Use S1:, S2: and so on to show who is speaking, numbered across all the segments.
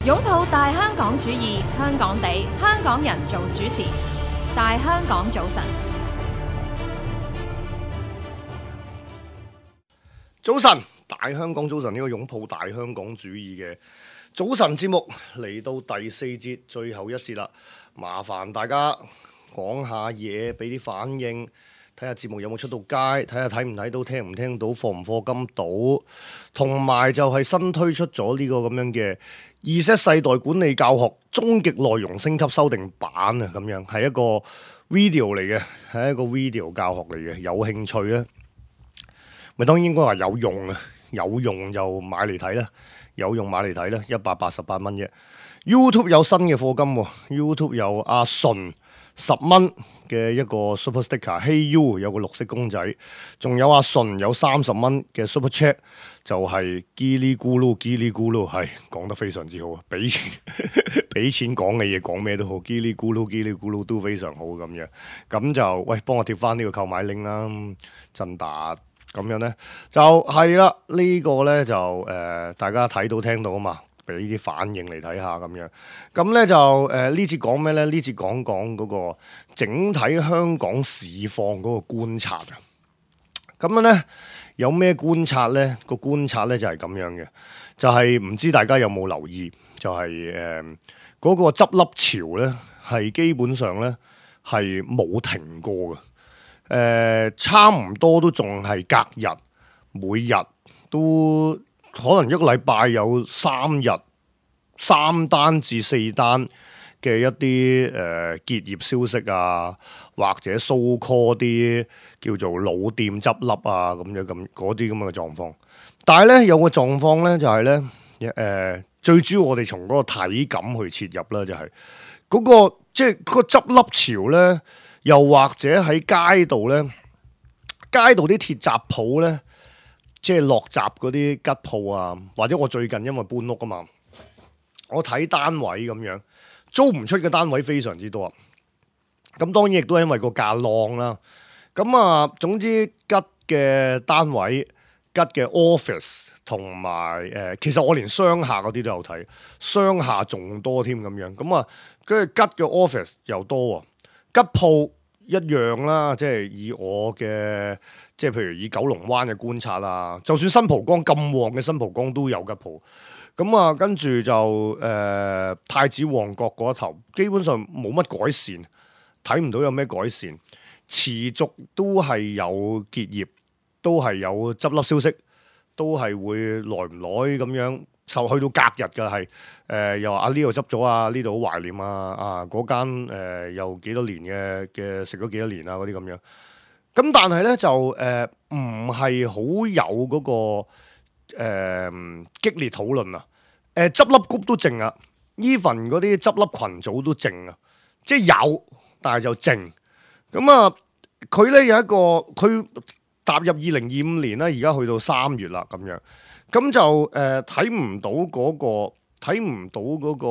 S1: 擁抱大香港主義，香港地，香港人做主持。大香港早晨，
S2: 早晨，大香港早晨，呢個擁抱大香港主義嘅早晨節目嚟到第4節最後一節啦，麻煩大家講下嘢，俾啲反應，睇下節目有冇出到街，睇下睇唔睇到，聽唔聽到，課唔課金到，同埋就係新推出咗呢個咁樣嘅Z世代管理教學終極內容升級修訂版啊，咁樣係一個 video 嚟嘅，係一個 video 教學嚟嘅，有興趣咧，咪當然應該話有用啊，有用就買嚟睇啦，有用買嚟睇啦，188蚊啫。YouTube 有新嘅課金喎，YouTube 有阿順10蚊嘅一個 Super Sticker，Hey You 有個綠色公仔，仲有阿順有30蚊嘅 Super Chat， 就係嘰哩咕嚕嘰哩咕嚕，係講得非常之好啊！俾錢俾錢講嘅嘢講咩都好，嘰哩咕嚕嘰哩咕嚕都非常好咁樣，咁就喂幫我貼翻呢個購買 link 啦，振達咁樣咧就係啦，呢個咧就大家睇到聽到啊嘛。俾啲反應嚟睇下咁樣，咁咧就呢節講咩咧？呢節講嗰個整體香港市況嗰個觀察啊。咁樣咧有咩觀察咧？個觀察咧就係咁樣嘅，就係唔知大家有冇留意，就係嗰個執笠潮咧，係基本上咧係冇停過嘅。差唔多都仲係隔日，每日都。可能一個禮拜有3單至4單嘅一啲結業消息啊，或者 so call 啲叫做老店執笠啊咁樣咁嗰啲咁嘅狀況。但係咧有個狀況咧就係咧最主要我哋從嗰個體感去切入啦，就係嗰個即係嗰個執笠潮咧，又或者喺街度咧，街度啲鐵閘鋪咧。即係落閘嗰啲吉鋪啊，或者我最近因為搬屋啊嘛，我睇單位咁樣租唔出嘅單位非常之多啊。咁當然亦都係因為個價浪啦。咁啊，總之吉嘅單位、吉嘅 office 同埋其實我連商廈嗰啲都有睇，商廈仲多添咁樣。咁啊，跟住吉嘅 office 又多啊，吉鋪一樣啦，即係以我嘅。即係譬如以九龍灣嘅觀察啦，就算新蒲崗咁旺嘅新蒲崗都有吉鋪，咁啊跟住就太子旺角嗰一頭，基本上冇乜改善，睇唔到有咩改善，持續都係有結業，都係有執笠消息，都係會耐唔耐咁樣，就去到隔日嘅係又話呢度執咗啊，呢度好懷念啊嗰間又幾多年嘅食咗幾多年啊嗰啲咁樣。咁但係咧就唔係好有嗰個激烈討論啊！執笠谷都靜啊 ，even 嗰啲執笠群組都靜啊，即係有，但係就靜。咁啊，佢咧有一個佢踏入2025年啦，而家去到3月啦咁樣，咁就睇唔到嗰個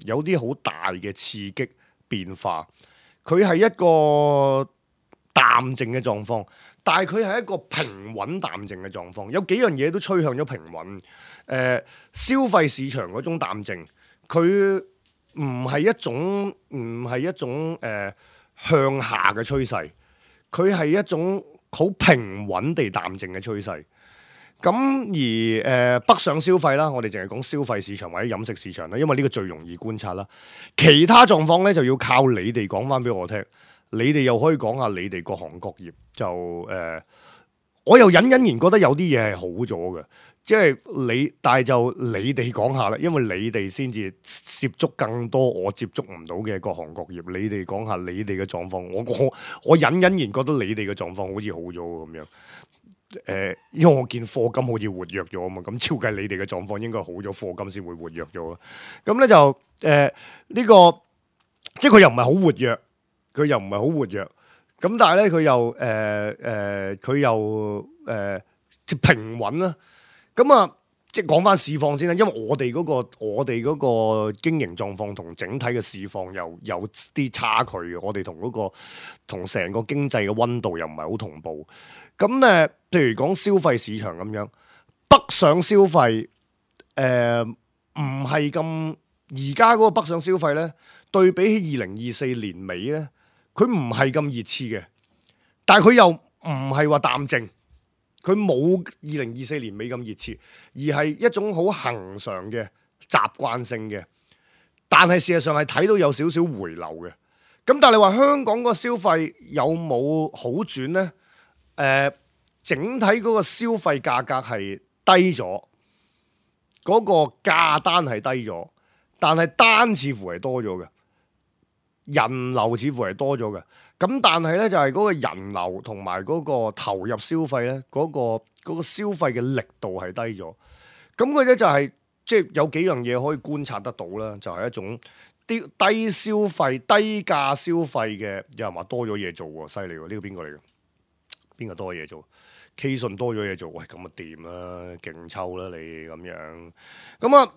S2: 有啲好大嘅刺激變化，佢係一個淡靜嘅狀況，但係佢係一個平穩淡靜嘅狀況，有幾樣嘢都趨向咗平穩。消費市場嗰種淡靜，佢唔係一種向下嘅趨勢，佢係一種好平穩地淡靜嘅趨勢。咁而北上消費啦，我哋淨係講消費市場或者飲食市場啦，因為呢個最容易觀察啦。其他狀況咧就要靠你哋講翻俾我聽。你哋又可以講下你哋各行各業就我又隱隱然覺得有啲嘢係好咗嘅，即係但係就你哋講下啦，因為你哋先至接觸更多我接觸唔到嘅各行各業，你哋講下你哋嘅狀況，我隱隱然覺得你哋嘅狀況好似好咗咁樣，因為我見課金好似活躍咗啊嘛，咁照計你哋嘅狀況應該好咗，課金先會活躍咗，咁咧就呢個即係佢又唔係好活躍。佢又唔係好活躍，咁但係咧佢又平穩啦。咁啊，即係講翻市況先啦，因為我哋嗰個經營狀況同整體嘅市況又有啲差距嘅，我哋同成個經濟嘅溫度又唔係好同步。咁譬如講消費市場咁樣，北上消費唔係咁而家嗰個北上消費咧，對比起2024年尾咧，佢唔係咁熱刺嘅，但係佢又唔係話淡靜，佢冇2024年尾咁熱刺，而係一種好恆常嘅習慣性嘅，但係事實上係睇到有少少回流嘅。咁但係你話香港個消費有冇好轉呢？整體嗰個消費價格係低咗，嗰個價單係低咗，但係單似乎係多咗嘅，人流似乎係多咗嘅。咁但係呢，就係嗰個人流同埋嗰個投入消費呢，嗰個消費嘅力度係低咗。咁佢咧就係即係有幾樣嘢可以觀察得到啦，就係一種啲低消費、低價消費嘅，有人話多咗嘢做喎，犀利喎！呢個邊個嚟嘅？邊個多嘢做？K 信多咗嘢做，喂咁啊掂啦，勁抽啦你咁樣。咁啊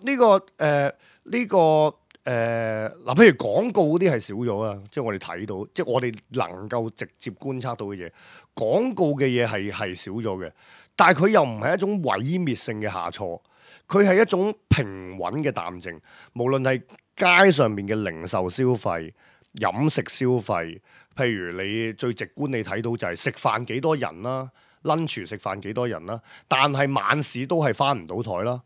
S2: 嗱，譬如廣告嗰啲係少咗啦，即係我哋睇到，即係我哋能夠直接觀察到嘅嘢，廣告嘅嘢係少咗嘅，但係佢又唔係一種毀滅性嘅下挫，佢係一種平穩嘅淡靜。無論係街上面嘅零售消費、飲食消費，譬如你最直觀你睇到就係食飯幾多人啦，lunch 食飯幾多人啦，但係晚市都係返唔到台啦，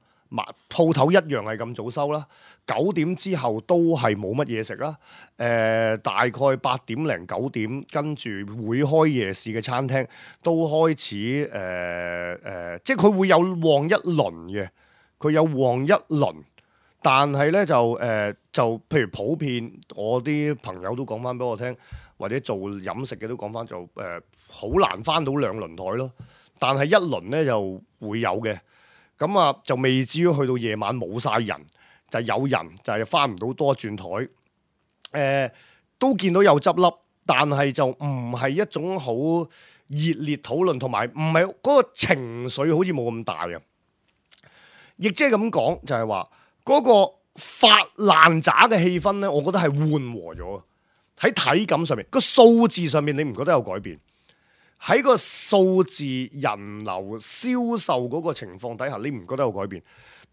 S2: 鋪頭一樣係咁早收啦，9點之後都係冇乜嘢食啦，大概8點零9點跟住會開夜市嘅餐廳都開始即係佢會有旺一輪嘅，佢有旺一輪。但係咧就譬如普遍，我啲朋友都講翻俾我聽，或者做飲食嘅都講翻就好難翻到2輪台咯。但係一輪咧就會有嘅，咁啊就未至於去到夜晚冇晒人，就有人就係翻唔到多轉台。都見到有執笠，但係就唔係一種好熱烈討論，同埋唔係嗰個情緒好似冇咁大啊。亦即係咁講，就係話。嗰個發爛渣嘅氣氛咧，我覺得係緩和咗。喺體感上面，個數字上面你唔覺得有改變？喺個數字人流銷售嗰個情況底下，你唔覺得有改變？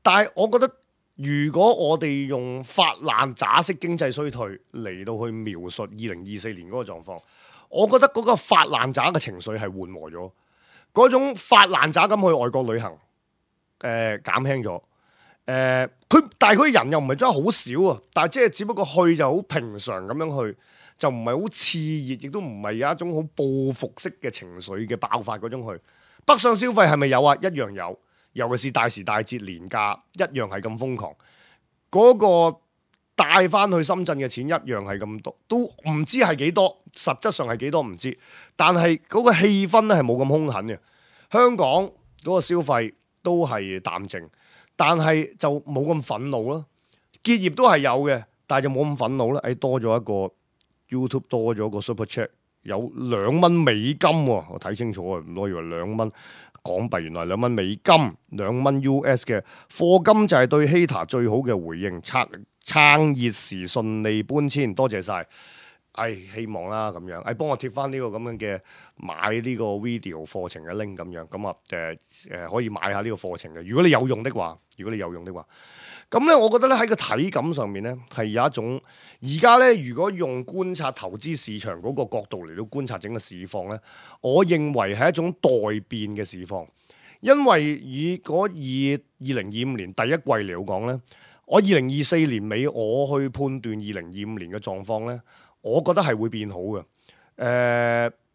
S2: 但係我覺得，如果我哋用發爛渣式經濟衰退嚟到去描述2024年嗰個狀況，我覺得嗰個發爛渣嘅情緒係緩和咗，嗰種發爛渣咁去外國旅行，減輕咗。但係佢人又唔係真係好少啊，但係即係只不過去就好平常咁樣去，就唔係好熾熱，亦都唔係有一種好報復式嘅情緒嘅爆發嗰種去。北上消費係咪有啊？一樣有，尤其是大時大節年假一樣係咁瘋狂。嗰個帶翻去深圳嘅錢一樣係咁多，都唔知係幾多，實質上係幾多唔知。但係嗰個氣氛咧係冇咁兇狠嘅。香港嗰個消費都係淡靜。但係就冇咁憤怒咯，結業都係有嘅，但係就冇咁憤怒啦。多咗一個 YouTube 多咗個 Super Chat， 有2蚊美金喎，我睇清楚啊，我以為2蚊港幣，原來2蚊美金，2蚊 US 嘅課金就係對 Hater 最好嘅回應，撐熱時順利搬遷，多謝晒。希望啦咁樣，幫我貼翻呢個咁樣嘅買呢個 video 課程嘅 link 咁樣，咁啊可以買下呢個課程嘅。如果你有用的話，咁咧，我覺得咧喺個體感上面咧係有一種，而家咧如果用觀察投資市場嗰個角度嚟到觀察整個市況咧，我認為係一種待變嘅市況，因為以2025年第一季嚟講咧，我2024年尾我去判斷2025年嘅狀況咧。我覺得係會變好嘅，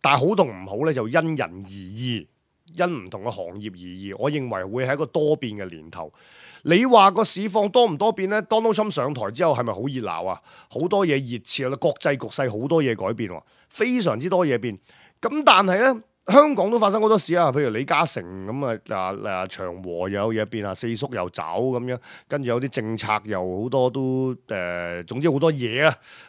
S2: 但係好同唔好咧就因人而異，因唔同嘅行業而異。我認為會係一個多變嘅年頭。你話個市況多唔多變咧？Donald Trump 上台之後係咪好熱鬧啊？好多嘢熱切啦，國際局勢好多嘢改變喎，非常之多嘢變。咁但係咧，香港都發生好多事啊，譬如李嘉誠咁啊，長和又有嘢變啊，四叔又走咁樣，跟住有啲政策又好多都總之好多嘢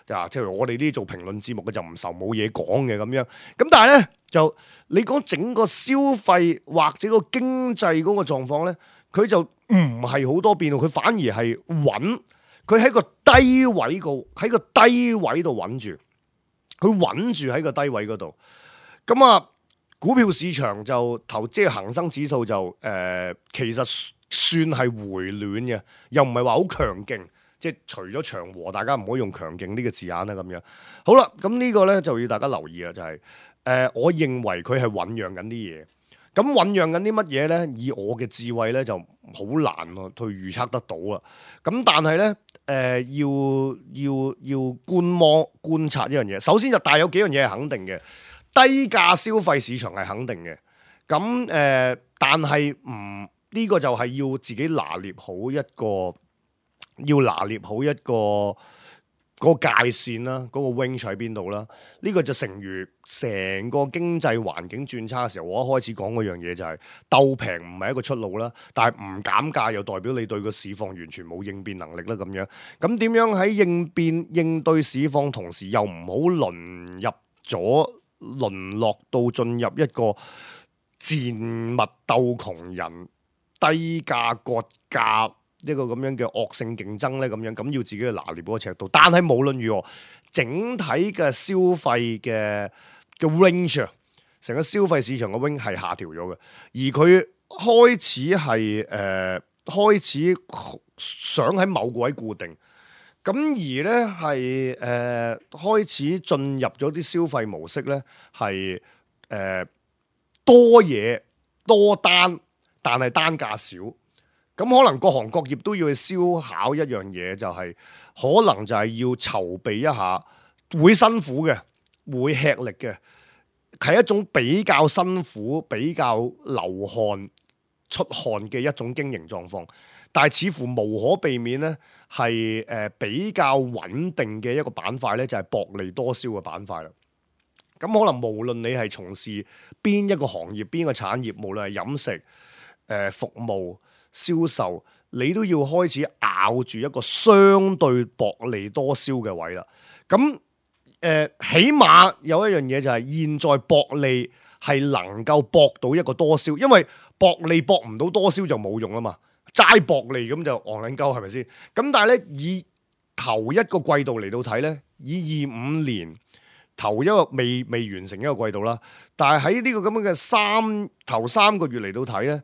S2: 啊，即係我哋呢啲做評論節目嘅就唔愁冇嘢講嘅咁樣。咁但係咧就你講整個消費或者個經濟嗰個狀況咧，佢就唔係好多變，佢反而係穩，佢喺個低位度穩住，佢穩住喺個低位嗰度，咁啊。股票市場就即係恒生指數就其實算係回暖嘅，又唔係話好強勁。即係除咗長和，大家唔可以用強勁呢個字眼啦咁樣。好啦，咁呢個咧就要大家留意啦，就係、我認為佢係醖釀緊啲嘢。咁醖釀緊啲乜嘢咧？以我嘅智慧咧就好難去預測得到啦。咁但係咧要觀察一樣嘢。首先就但係有幾樣嘢係肯定嘅，低價消費市場係肯定嘅。咁但係呢個就係要自己拿捏好一個。要拿捏好一個界線啦，嗰個 range 喺邊度啦？呢個就成如成個經濟環境轉差嘅時候，我一開始講嗰樣嘢就係鬥平唔係一個出路啦，但係唔減價又代表你對個市況完全冇應變能力啦咁樣。咁點樣喺應對市況同時又唔好淪落到進入一個賤物鬥窮人、低價割價一個咁樣嘅惡性競爭咧，咁要自己去拿捏嗰個尺度。但係無論如何，整體嘅消費嘅 range， 成個消費市場嘅 range 係下調咗嘅，而佢開始想喺某個位固定，咁而咧係開始進入咗啲消費模式咧，係多嘢多單，但係單價少。咁可能各行各業都要去思考一樣嘢，就係可能就係要籌備一下，會辛苦嘅，會吃力嘅，係一種比較辛苦、比較流汗、出汗嘅一種經營狀況。但係似乎無可避免咧，係比較穩定嘅一個板塊咧，就係薄利多銷嘅板塊啦。咁可能無論你係從事邊一個行業、邊個產業，無論係飲食、服務、銷售，你都要開始咬住一個相對薄利多銷嘅位啦。咁起碼有一樣嘢就係現在薄利係能夠搏到一個多銷，因為薄利搏唔到多銷就冇用啊嘛。齋薄利咁就戇撚鳩係咪先？咁但係咧，以頭一個季度嚟到睇咧，以25年頭一個未完成一個季度啦，但係喺呢個咁樣嘅頭三個月嚟到睇咧，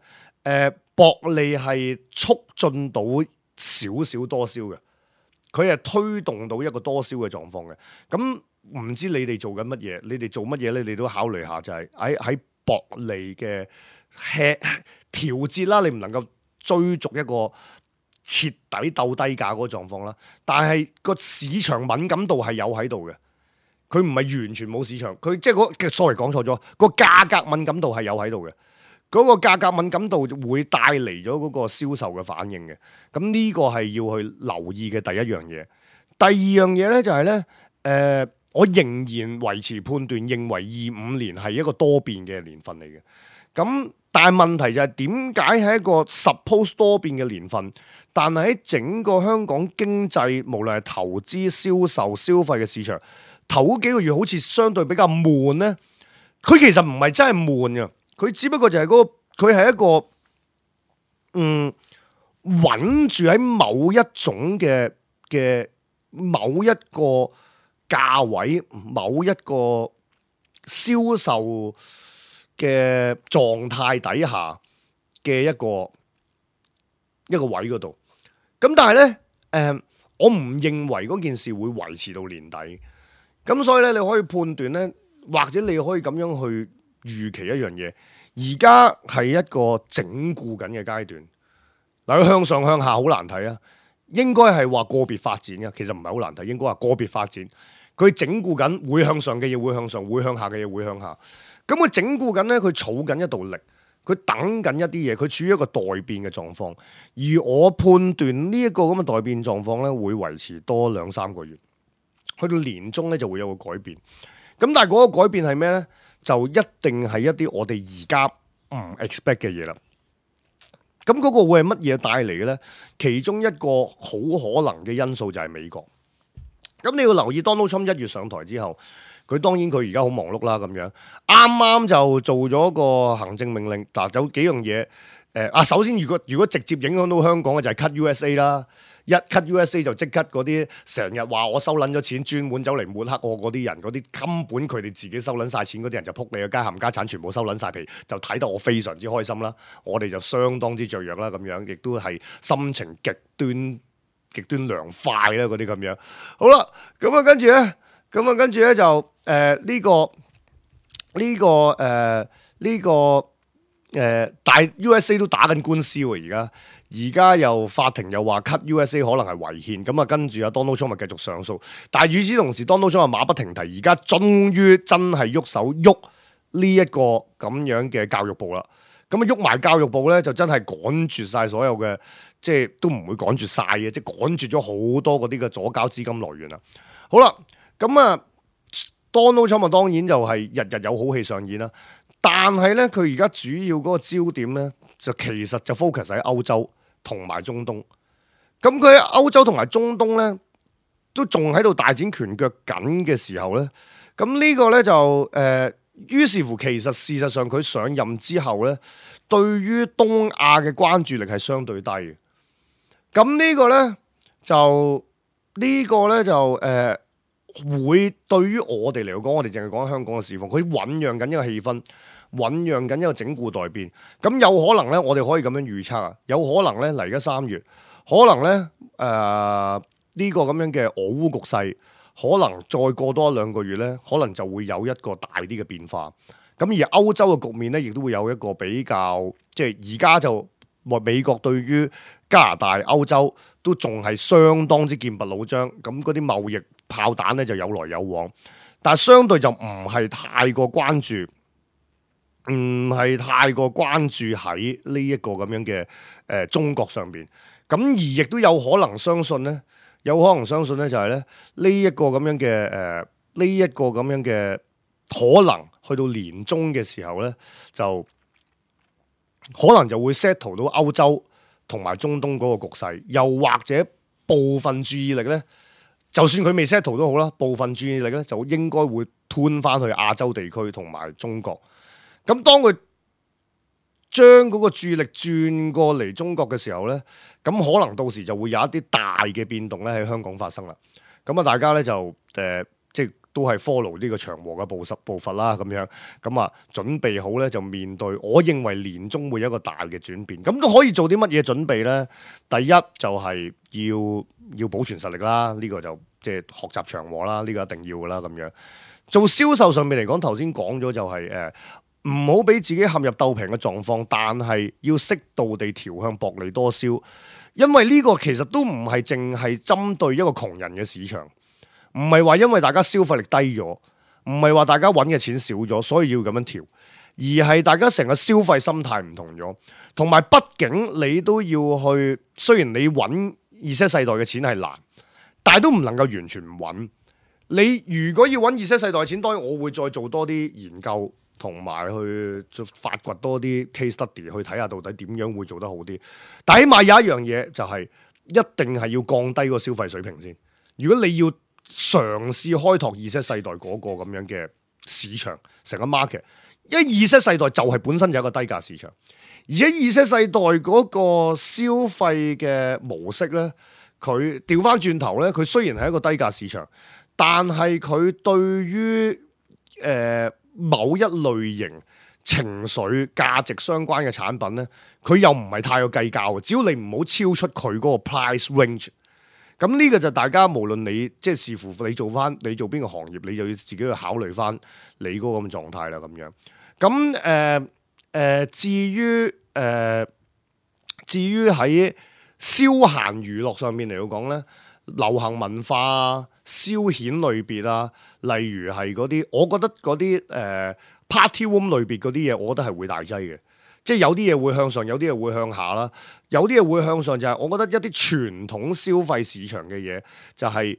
S2: 薄利係促進到少少多銷嘅，佢係推動到一個多銷嘅狀況嘅。咁唔知你哋做緊乜嘢？你哋做乜嘢咧？你都考慮下，就係喺薄利嘅調節啦，你唔能夠追逐一個徹底鬥低價嗰個狀況啦。但係個市場敏感度係有喺度嘅，佢唔係完全冇市場，佢即係sorry講錯咗，個價格敏感度係有喺度嘅。嗰個價格敏感度會帶嚟咗嗰個銷售嘅反應嘅，咁呢個係要去留意嘅第一樣嘢。第二樣嘢咧就係咧，我仍然維持判斷，認為25年係一個多變嘅年份嚟嘅。咁但係問題就係點解係一個 suppose 多變嘅年份，但係喺整個香港經濟，無論係投資、銷售、消費嘅市場，頭嗰幾個月好似相對比較悶咧。佢其實唔係真係悶嘅。佢只不過就係佢係一個穩住喺某一種嘅某一個價位、某一個銷售嘅狀態底下嘅一個位嗰度。咁但係咧，我唔認為嗰件事會維持到年底。咁所以咧，你可以判斷咧，或者你可以咁樣去預期一樣嘢，而家係一個整固緊嘅階段。嗱，佢向上向下好難睇啊，應該係話個別發展嘅，其實唔係好難睇，應該話個別發展。佢整固緊，會向上嘅嘢會向上，會向下嘅嘢會向下。咁佢整固緊咧，佢儲緊一道力，佢等緊一啲嘢，佢處於一個待變嘅狀況。而我判斷呢一個咁嘅待變狀況咧，會維持多2-3個月，去到年中咧就會有個改變。咁但係嗰個改變係咩咧？就一定係一啲我哋而家唔 expect 嘅嘢啦。咁嗰個會係乜嘢帶嚟嘅咧？其中一個好可能嘅因素就係美國。咁你要留意 Donald Trump 1月上台之後，佢當然佢而家好忙碌啦咁樣。啱啱就做咗個行政命令，嗱，有幾樣嘢首先如果直接影響到香港嘅就係 Cut USA 啦。一 cut USA 就即刻嗰啲成日話我收撚咗錢，專門走嚟抹黑我嗰啲人，嗰啲根本佢哋自己收撚晒錢嗰啲人就撲你個街，冚家產全部收撚晒皮，就睇得我非常之開心啦。我哋就相當之雀躍啦，咁樣亦都係心情極端涼快啦，嗰啲咁樣。好啦，咁啊跟住咧就但係 USA 都打緊官司喎，而家又法庭又話 cut USA 可能係違憲，咁啊跟住Donald Trump咪繼續上訴，但係與此同時 Donald Trump 馬不停蹄，而家終於真係喐手喐呢一個咁樣嘅教育部啦，咁啊喐埋教育部咧就真係趕絕晒所有嘅，即係都唔會趕絕晒嘅，即係趕絕咗好多嗰啲嘅左膠資金來源啦。好啦，咁啊 Donald Trump 當然就係日日有好戲上演啦，但係咧佢而家主要嗰個焦點咧就其實就 focus 喺歐洲同埋中東，咁佢喺歐洲同埋中東咧都仲喺度大展拳腳緊嘅時候咧，咁呢個咧就於是乎其實事實上佢上任之後咧，對於東亞嘅關注力係相對低嘅，咁呢個咧就會對於我哋嚟講，我哋淨係講香港嘅市況，佢醖釀緊一個氣氛，醖釀緊一個整固待變。咁有可能咧，我哋可以咁樣預測啊，有可能咧嚟而家3月，可能咧呢個咁樣嘅俄烏局勢，可能再過多1-2個月咧，可能就會有一個大啲嘅變化。咁而歐洲嘅局面咧，亦都會有一個比較，即係而家就美國對於加拿大、歐洲都仲係相當之劍拔弩張，咁嗰啲貿易炮彈咧就有來有往，但係相對就唔係太過關注，喺呢一個咁樣嘅中國上邊，咁而亦都有可能相信咧，就係咧呢一個咁樣嘅可能去到年中嘅時候咧，就可能就會 settle 到歐洲同埋中東嗰個局勢，又或者部分注意力咧。就算佢未 settle 都好啦，部分注意力咧就應該會吞翻去亞洲地區同埋中國。咁當佢將嗰個注意力轉過嚟中國嘅時候咧，咁可能到時就會有一啲大嘅變動咧喺香港發生啦。咁啊，大家咧就即係都係 follow 呢個長和嘅步伐啦，咁樣咁啊，準備好咧就面對，我認為年中會有一個大嘅轉變。咁都可以做啲乜嘢準備咧？第一就係要保存實力啦，呢個就即係學習長和啦，呢個一定要噶啦。咁樣做銷售上面嚟講，頭先講咗就係唔好俾自己陷入鬥平嘅狀況，但係要適度地調向薄利多銷，因為呢個其實都唔係淨係針對一個窮人嘅市場。唔係話因為大家消費力低咗，唔係話大家揾嘅錢少咗，所以要咁樣調，而係大家成個消費心態唔同咗，同埋畢竟你都要去，雖然你揾Z世代嘅錢係難，但係都唔能夠完全唔揾。你如果要揾Z世代嘅錢，當然我會再做多啲研究，同埋去發掘多啲 case study 去睇下到底點樣會做得好啲。但起碼有一樣嘢就係一定係要降低個消費水平先。如果你要嘗試開拓Z世代嗰個咁樣嘅市場，成個 market， 因為Z世代就係本身就係一個低價市場，而且Z世代嗰個消費嘅模式咧，佢調翻轉頭咧，佢雖然係一個低價市場，但係佢對於某一類型情緒價值相關嘅產品咧，佢又唔係太過計較嘅，只要你唔好超出佢嗰個 price range。咁呢個就大家無論你即係視乎你做邊個行業，你就要自己去考慮翻你嗰個咁嘅狀態啦。咁樣咁至於喺消閒娛樂上面嚟講咧，流行文化啊、消遣類別啊，例如係嗰啲，我覺得嗰啲party room 類別嗰啲嘢，我覺得係會大劑嘅。即係有啲嘢會向上，有啲嘢會向下啦。有啲嘢會向上就係我覺得一啲傳統消費市場嘅嘢，就係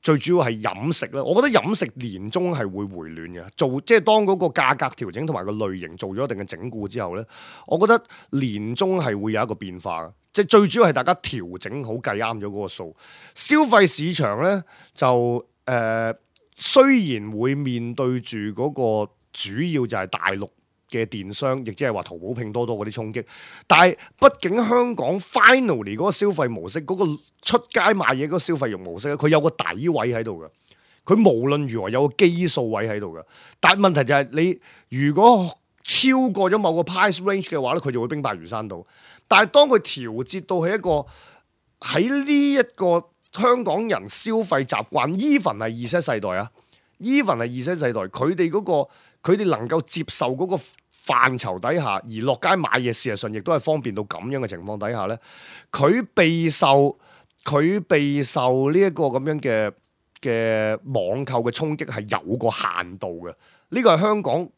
S2: 最主要係飲食啦。我覺得飲食年中係會回暖嘅。即係當嗰個價格調整同埋個類型做咗一定嘅整固之後咧，我覺得年中係會有一個變化嘅。即係最主要係大家調整好計啱咗嗰個數。消費市場咧就雖然會面對住嗰個主要就係大陸嘅電商，亦即係話淘寶、拼多多嗰啲衝擊。但係畢竟香港 finally 嗰個消費模式，嗰個出街買嘢嗰個消費模式咧，佢有個底位喺度嘅。佢無論如何有個基數位喺度嘅。但係問題就係你如果超過咗某個 price range 嘅話咧，佢就會兵敗如山倒。但係當佢調節到係一個喺呢一個香港人消費習慣 even 係Z世代啊 even 係Z世代，佢哋嗰個佢哋能夠接受嗰個範疇底下，而落街買嘢，事實上亦都係方便到咁樣嘅情況底下咧，佢備受呢一個咁樣嘅網購嘅衝擊係有個限度嘅。呢個係香港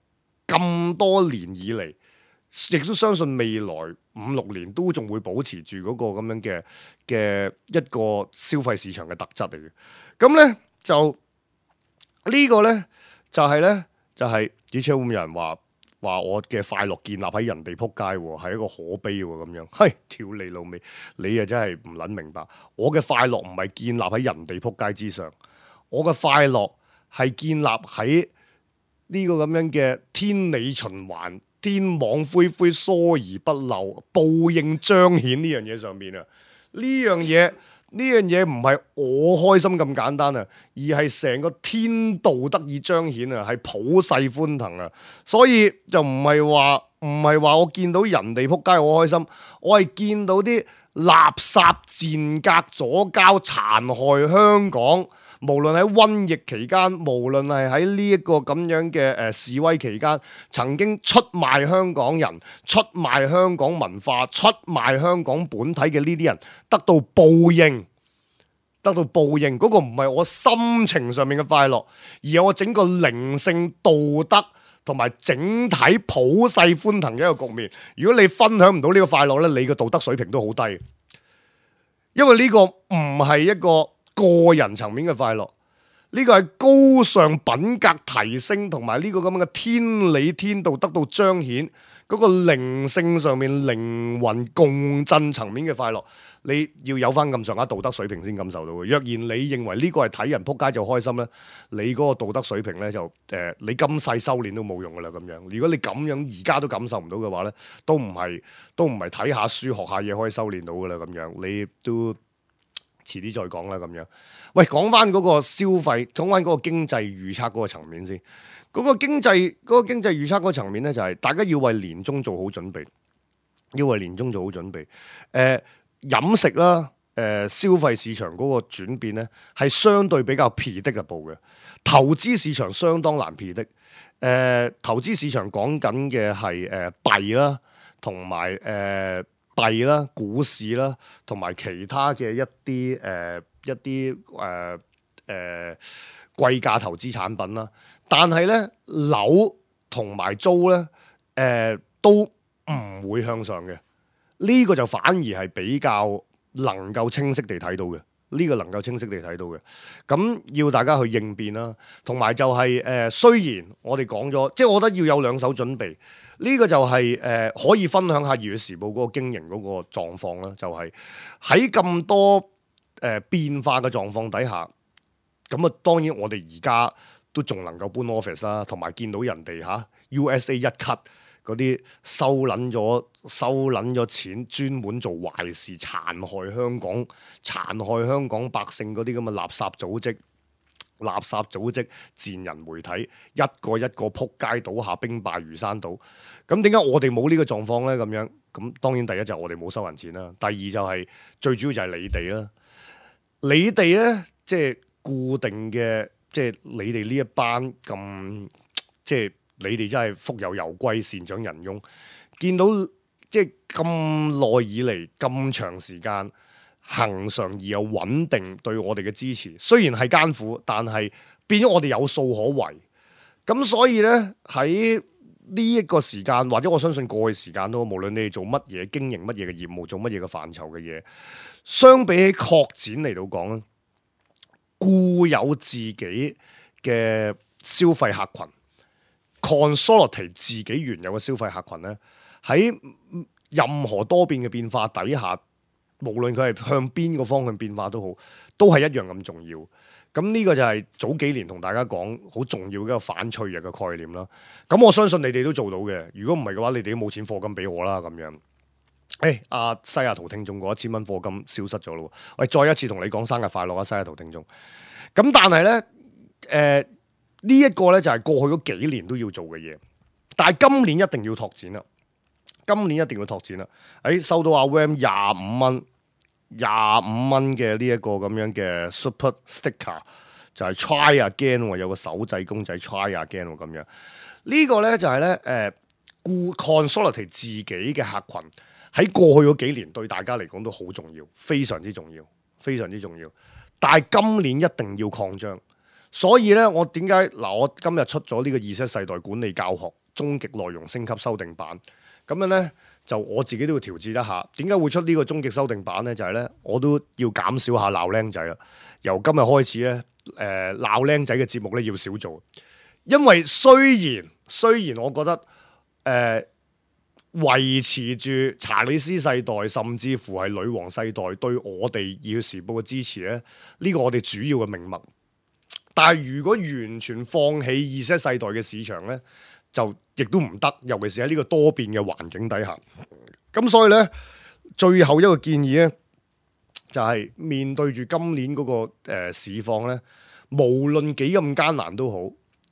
S2: 咁多年以嚟，亦都相信未來5-6年都仲會保持住嗰個咁樣嘅一個消費市場嘅特質嚟嘅。咁咧就呢個咧就係以前會唔會有人話我嘅快樂建立喺人哋撲街喎，係一個可悲喎咁樣。係跳你老味，你啊真係唔撚明白。我嘅快樂唔係建立喺人哋撲街之上，我嘅快樂係建立喺呢個咁樣嘅天理循環、天網恢恢、疏而不漏、報應彰顯呢樣嘢上面啊！呢樣嘢唔係我開心咁簡單啊，而係成個天道得以彰顯啊，係普世歡騰啊！所以就唔係話我見到人哋撲街我開心，我係見到啲垃圾賤格左膠殘害香港。無論喺瘟疫期間，無論係喺呢一個咁樣嘅示威期間，曾經出賣香港人、出賣香港文化、出賣香港本體嘅呢啲人，得到報應。嗰個唔係我心情上面嘅快樂，而係我整個靈性道德同埋整體普世歡騰嘅一個局面。如果你分享唔到呢個快樂咧，你嘅道德水平都好低，因為呢個唔係一個個人層面嘅快樂，呢個係高尚品格提升同埋呢個咁樣嘅天理天道得到彰顯，嗰個靈性上面靈魂共振層面嘅快樂，你要有翻咁上下道德水平先感受到嘅。若然你認為呢個係睇人撲街就開心咧，你嗰個道德水平咧就你今世修煉都冇用噶啦咁樣。如果你咁樣而家都感受唔到嘅話咧，都唔係睇下書學下嘢可以修煉到噶啦咁樣，你都遲啲再講啦咁樣。喂，講翻嗰個消費，講翻嗰個經濟預測嗰個層面先。嗰個經濟預測嗰個層面咧，就係大家要為年終做好準備，飲食啦，消費市場嗰個轉變咧，係相對比較predictable嘅。投資市場相當難predict。投資市場講緊嘅係幣啦，同埋幣啦、股市啦，同埋其他嘅一啲貴價投資產品啦。但係咧，樓同埋租咧，都唔會向上嘅。呢個就反而係比較能夠清晰地睇到嘅。咁要大家去應變啦。同埋就係雖然我哋講咗，即係我覺得要有兩手準備。呢個就係可以分享下《二月時報》嗰個經營嗰個狀況啦。就係喺咁多變化嘅狀況底下，咁啊當然我哋而家都仲能夠搬 office 啦，同埋見到人哋USA 一 cut 嗰啲收撚咗錢，專門做壞事，殘害香港百姓嗰啲咁嘅垃圾組織、賤人媒體，一個一個撲街倒下，兵敗如山倒。咁點解我哋冇呢個狀況咧？咁樣咁當然第一就係我哋冇收人錢啦，第二就係最主要就係你哋啦。你哋咧即係固定嘅，即係你哋呢一班咁，即係你哋真係福有攸歸，善長仁翁。見到即係咁耐以嚟咁長時間，恆常而又穩定對我哋嘅支持，雖然係艱苦，但係變咗我哋有數可為。咁所以咧喺呢一個時間，或者我相信過去時間都，無論你哋做乜嘢、經營乜嘢嘅業務、做乜嘢嘅範疇嘅嘢，相比起擴展嚟到講咧，固有自己嘅消費客群 consolidate 自己原有嘅消費客群咧，喺任何多變嘅變化底下，無論佢係向邊個方向變化都好，都係一樣咁重要。咁呢個就係早幾年同大家講好重要嘅一個反脆弱嘅概念啦。咁我相信你哋都做到嘅。如果唔係嘅話，你哋都冇錢課金俾我啦。咁樣，阿西雅圖聽眾嗰1000蚊課金消失咗咯。喂，再一次同你講生日快樂啊，西雅圖聽眾。咁但係咧，呢一個咧就係過去嗰幾年都要做嘅嘢，但係今年一定要拓展啦。今年一定要拓展啦。收到阿 Wam 25蚊嘅呢一個咁樣嘅 Super Sticker， 就係 Try Again 喎，有個手掣公仔 Try Again 喎咁樣。呢個咧就係咧consolidate 自己嘅客群喺過去嗰幾年對大家嚟講都好重要，非常之重要，非常之重要。但係今年一定要擴張，所以咧我點解嗱？我今日出咗呢個Z世代管理教學終極內容升級修訂版，咁樣咧就我自己都要調節一下。點解會出呢個終極修訂版咧？就係咧我都要減少下鬧僆仔啦。由今日開始咧，鬧僆仔嘅節目咧要少做，因為雖然我覺得維持住查理斯世代，甚至乎係女王世代對我哋《要時報》嘅支持咧，呢個我哋主要嘅命脈。但係如果完全放棄Z世代嘅市場咧，就亦都唔得，尤其是喺呢個多變嘅環境底下。咁所以咧，最後一個建議咧，就係面對住今年嗰個市況咧，無論幾咁艱難都好，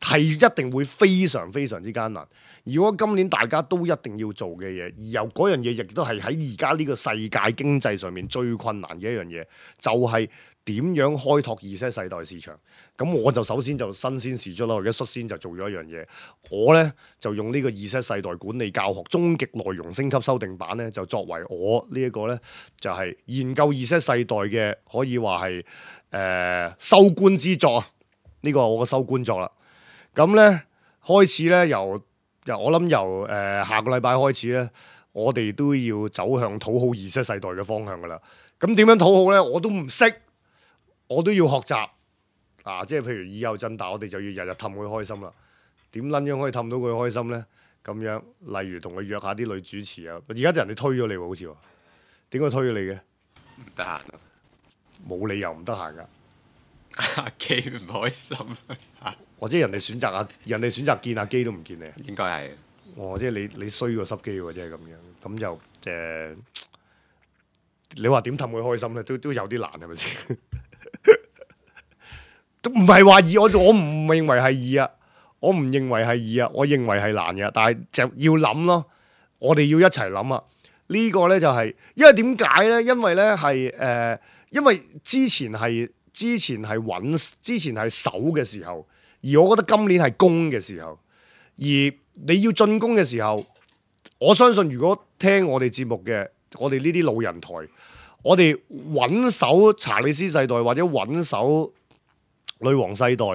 S2: 係一定會非常非常之艱難。如果今年大家都一定要做嘅嘢，而由嗰樣嘢亦都係喺而家呢個世界經濟上面最困難嘅一樣嘢，就係點樣開拓Z世代市場。咁我就首先就新鮮事出啦，我而家率先就做咗一樣嘢，我咧就用呢個Z世代管理教學終極內容升級修訂版咧，就作為我呢一個咧就係研究Z世代嘅可以話係收官之作。呢個係我嘅收官作啦。咁咧開始咧我諗由下個禮拜開始咧，我哋都要走向討好Z世代嘅方向噶啦。咁點樣討好咧？我都唔識，我都要學習啊！即係譬如以後振大，我哋就要日日氹佢開心啦。點撚樣可以氹到佢開心咧？咁樣，例如同佢約下啲女主持啊。而家人哋推咗你喎，好似話點解推咗你嘅？
S3: 唔得閒啊！
S2: 冇理由唔得閒噶。
S3: 阿基唔開心啊！
S2: 或者人哋選擇見阿基都唔見你，
S3: 應該係。
S2: 即係你衰過濕機喎，即係咁樣。咁就你話點氹佢開心咧？都有啲難，係咪先？都唔係話易，我唔認為係易啊！我唔認為係易啊！我認為係難嘅，但係就要諗咯。我哋要一齊諗啊！呢個咧就係因為點解咧？因為咧係因為之前係守嘅時候，而我覺得今年係攻嘅時候，而你要進攻嘅時候，我相信如果聽我哋節目嘅，我哋呢啲老人台，我哋穩守查理斯世代或者穩守女王世代，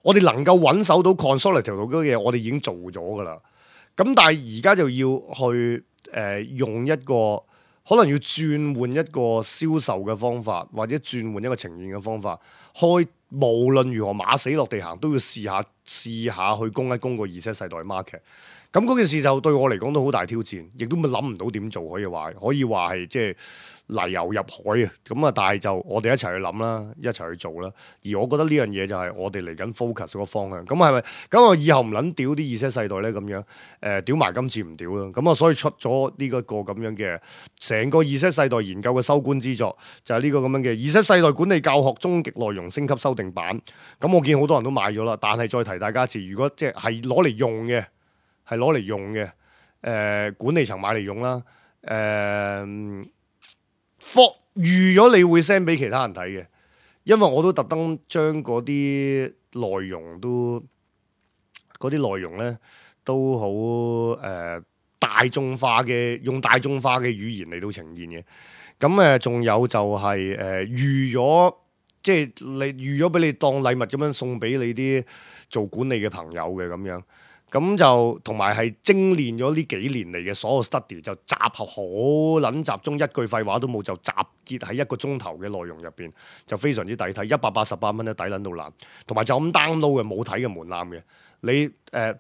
S2: 我哋能夠穩守到 consolidate 條路嗰啲嘢，我哋已經做咗噶啦。咁但係而家就要去用一個可能要轉換一個銷售嘅方法，或者轉換一個呈現嘅方法，無論如何馬死落地行都要試下去攻一攻個Z世代 market。咁嗰件事就對我嚟講都好大挑戰，亦都諗唔到點做，可以話係即係泥牛入海啊！咁啊，但係就我哋一齊去諗啦，一齊去做啦。而我覺得呢樣嘢就係我哋嚟緊 focus 嗰個方向。咁係咪？咁我以後唔撚屌啲Z世代咧咁樣，屌埋今次唔屌啦。咁啊，所以出咗呢個咁樣嘅成個Z世代研究嘅收官之作，就係呢個咁樣嘅Z世代管理教學終極內容升級修訂版。咁我見好多人都買咗啦，但係再提大家一次，如果即係攞嚟用嘅。管理層買嚟用啦。預咗你會 send 俾其他人睇嘅，因為我都特登將嗰啲內容咧都好大眾化嘅，用大眾化嘅語言嚟到呈現嘅。咁仲有就係預咗，即係你預咗俾你當禮物咁樣送俾你啲做管理嘅朋友嘅咁樣。咁就同埋係精練咗呢幾年嚟嘅所有 study， 就集合好撚集中，一句廢話都冇，就集結喺1個鐘頭嘅內容入邊，就非常之抵睇，188蚊咧抵撚到爛，同埋就咁 download 嘅，冇睇嘅門檻嘅。你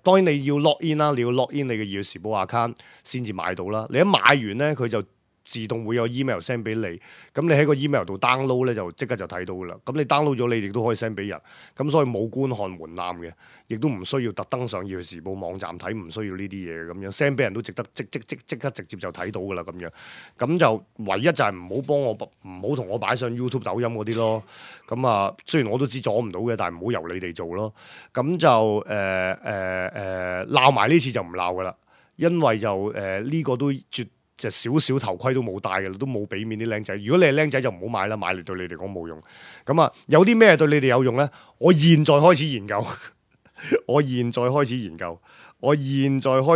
S2: 當然你要 log in 啦，你要 log in 你嘅《要時報》account 先至買到啦。你一買完咧，佢就自動會有 email send 俾你，咁你喺個 email 度 download 咧就即刻就睇到噶啦。咁你 download 咗你亦都可以 send 俾人，咁所以冇觀看門檻嘅，亦都唔需要特登上要去時報網站睇，唔需要呢啲嘢咁樣 send 俾人都值得即刻直接就睇到噶啦咁樣。咁就唯一就係唔好幫我唔好同我擺上 YouTube 抖音嗰啲咯。咁啊，雖然我都知阻唔到嘅，但係唔好由你哋做咯。咁就鬧埋呢次就唔鬧噶啦，因為就呢個都就少少頭盔都冇戴嘅啦，都冇俾面啲僆仔。如果你係僆仔就唔好買啦，買嚟對你哋講冇用。咁啊，有啲咩對你哋有用咧？我現在開始研究，我現在開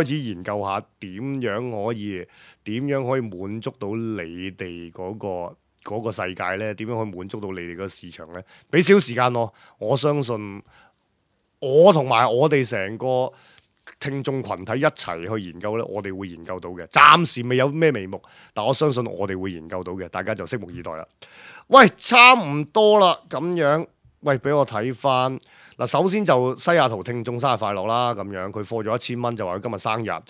S2: 始研究下點樣可以滿足到你哋嗰個世界咧？點樣可以滿足到你哋個市場咧？俾少時間我相信我同埋我哋成個聽眾群體一齊去研究咧，我哋會研究到嘅。暫時未有咩眉目，但我相信我哋會研究到嘅，大家就拭目以待啦。喂，差唔多啦，咁樣，喂，俾我睇翻嗱。首先就西雅圖聽眾生日快樂啦，咁樣佢課咗1000蚊，就話佢今日生日，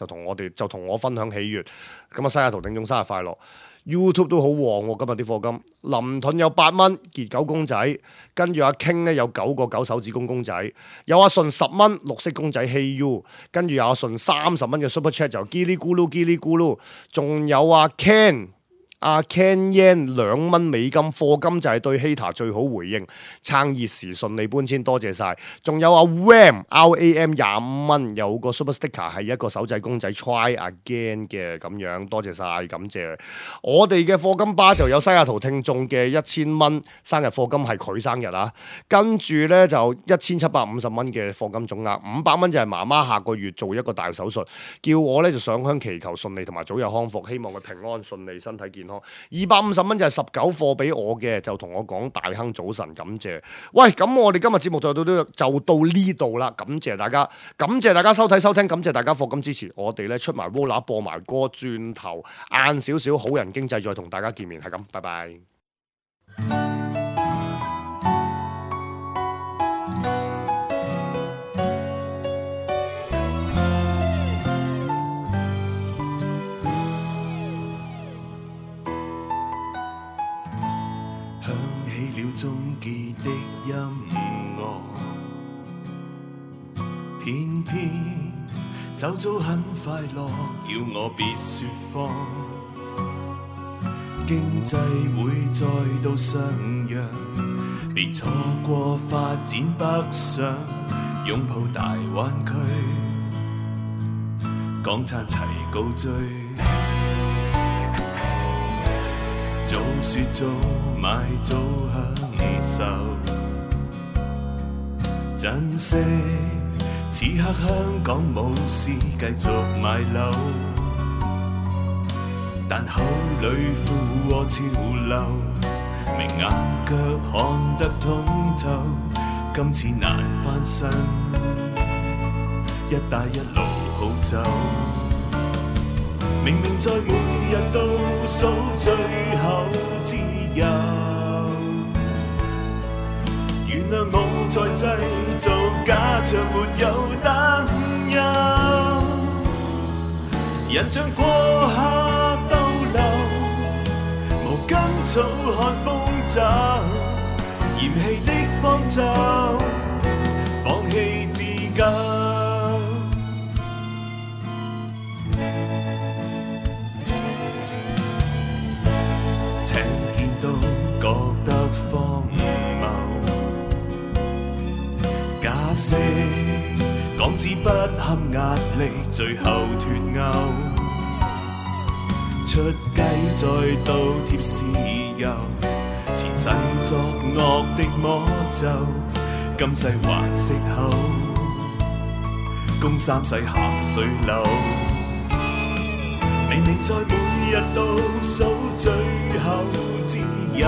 S2: 就同我分享喜悅。咁啊，西雅圖聽眾生日快樂。YouTube 都好旺喎，今日啲課金。林盾有8蚊，傑狗公仔，跟住阿 King 咧有9個9手指公仔，有阿順10蚊綠色公仔 Hey You， 跟住有阿順30蚊嘅 Super Chat 就嘰哩咕嚕，仲有阿 Ken Yan 2蚊美金課金就係對 Hater 最好回應，撐熱時順利搬遷，多謝晒。仲有阿 RAM 25蚊有個 Super Sticker 係一個手仔公仔 Try Again 嘅咁樣，多謝晒，感謝。我哋嘅課金巴就有西雅圖聽眾嘅1000蚊生日課金係佢生日啊，跟住咧就1750蚊嘅課金總額，500蚊就係媽媽下個月做一個大手術，叫我咧就上香祈求順利同埋早日康復，希望佢平安順利身體健康。250蚊就係19課俾我嘅，就同我講大亨早晨，感謝。喂，咁我哋今日節目就到呢度啦，感謝大家收睇收聽，感謝大家課金支持。我哋咧出埋 Vola 播埋歌，轉頭晏少少好人經濟再同大家見面，係咁，拜拜。
S4: 終結的音樂，偏偏走早很快樂，叫我別説謊。經濟會再度上揚，別錯過發展北上，擁抱大灣區，港燦齊高追。早說早買早享受，珍惜此刻香港冇事繼續買樓，但口裏附和潮流，明眼腳看得通透，今次難翻身，一帶一路好走。明明在每日倒數最後自由，原諒我在製造假象，沒有擔憂。人像過客逗留，無根草看風走，嫌棄的方舟，放棄自救。港紙不堪壓力，最後脫鈎，出雞再倒貼豉油，前世作惡的魔咒，今世還息口，供3世鹹水樓。明明在每日倒數最後自由，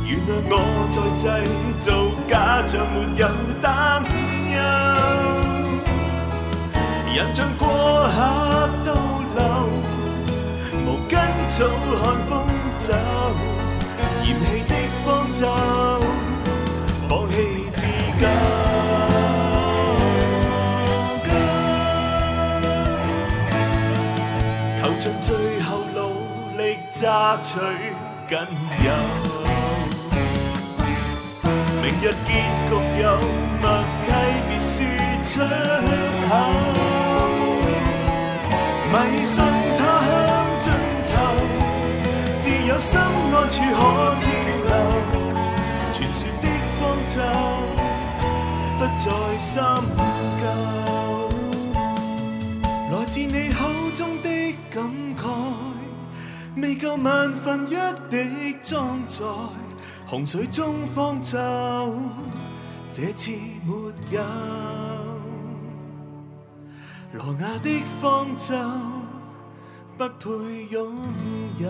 S4: 原諒我在製造假象，沒有擔憂。人像過客逗留，無根草看風走，嫌棄的方舟，放棄自救。求榨取僅有。明日結局有默契，別說出口。迷信他鄉盡頭，自有心安處可停留。傳說的方舟不再深究，來自你口中的感慨，未夠萬分一滴裝載洪水中方舟，這次沒有羅亞的方舟，不配擁有。